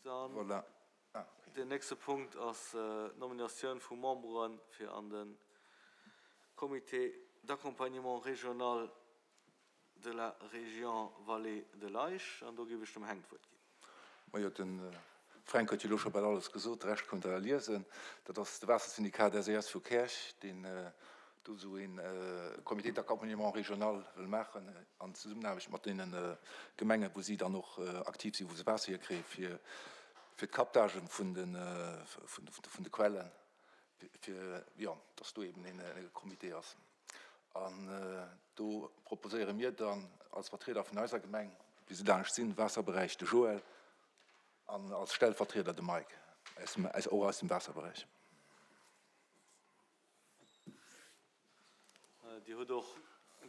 Dann deen nächste Punkt ass d'Nominatioun vu Membere fir an de Comité d'accompagnement régional de la Région Vallée de l'Eisch. An do géif ech dem Heng d'Wuert ginn. Majo, de Fränk huet jo elo scho bal alles gesot, de Rescht konnt Der liesen. Dat ass de Waassersyndikat SES vu Käerch, deen do esou ee Comité d'accompagnement régional wëll maachen an Zesummenaarbecht mat deene Gemengen, wou si dann och aktiv sinn, wou se Waasser hierkréien, fir fir d'Captagë vun de vun de Quellen, fir, jo, dass do eben ee Comité ass. An do proposéiere mir dann als Vertrieder vun eiser Gemeng, wéi se laanscht sinn, Waasserberäich de Joël an als Stellvertrieder de Mike, och aus dem Waasserberäich. Dir hutt och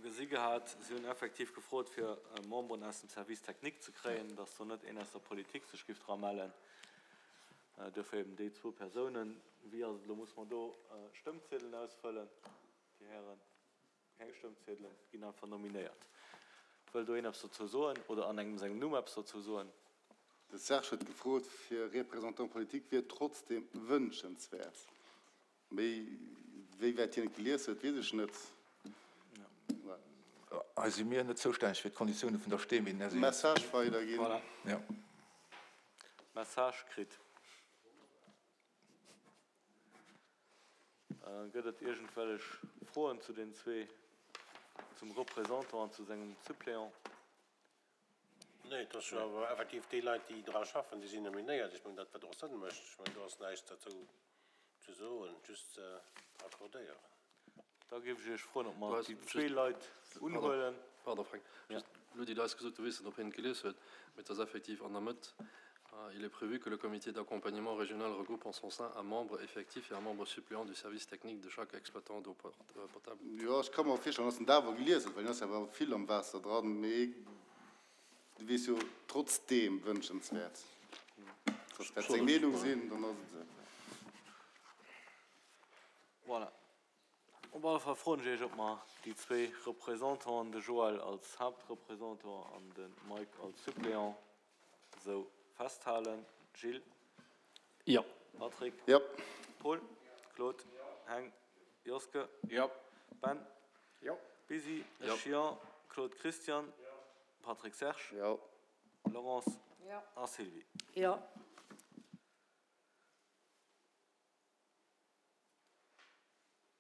gesi gehat, si hunn effektiv gefrot, fir Memberen aus dem Service technique ze kréien, dass do net een aus der Politik sech giff dra mellen. Duerfir eben déi zwou Persounen. Wéi ass et elo? Muss mer do Stëmmziedelen ausfëllen, Dir Hären? Keng Stëmmziedelen, ginn einfach nominéiert. Wëll do een eppes dozou soen oder an engem sengem Numm eppes dozou soen? De Serge huet gefrot fir Représentant politique wier trotzdem wünschenswert. Méi wéi wäit hien et gelies huet, weess ech net. Hei si mir net zoustänneg fir d'Konditioune vun der Stemm. Message weiderginn. Voilà. Message kritt. Gëtt et iergendwellech Froen zu den zwee, zum Représentant an zu sengem Suppléant? Nee, et ass jo awer effektiv déi Leit, déi dra schaffen, déi sinn nominéiert. Ech mengen, dat wat och Sënn mécht. Ech mengen, do ass näischt derzou ze soen, just ze accordéieren. Da géif ech Iech froen, ob mer déi zwee Leit unhuelen. Pardon, Frank, just, elo hutt Dir eis gesot, du weess net, ob hien et gelies huet, mee et ass effektiv an der Mëtt, Il est prévu que le comité d'accompagnement régional regroupe en son sein un membre effectif et un membre suppléant du service technique de chaque exploitant d'eau potable. Jo, ech ka mer virstellen, dass en dat awer gelies huet, well hien ass jo awer vill am Waasser dran, mee du weess jo, trotzdeem wënschenswäert. Dass dat seng Meenung sinn, dann ass et esou. Voilà. Op alle Fall froen ech Iech, ob mer déi zwee Représentanten, de Joël als Haaptreprésentant an de Mike als Suppléant, esou festhalen. Gilles? Jo. Patrick? Jo. Paul? Claude? Heng? Joske? Jo. Ben? Jo. Busy? Ech jo. Claude Christian? Patrick Serge? Jo. Laurence? Jo. A Sylvie? Jo.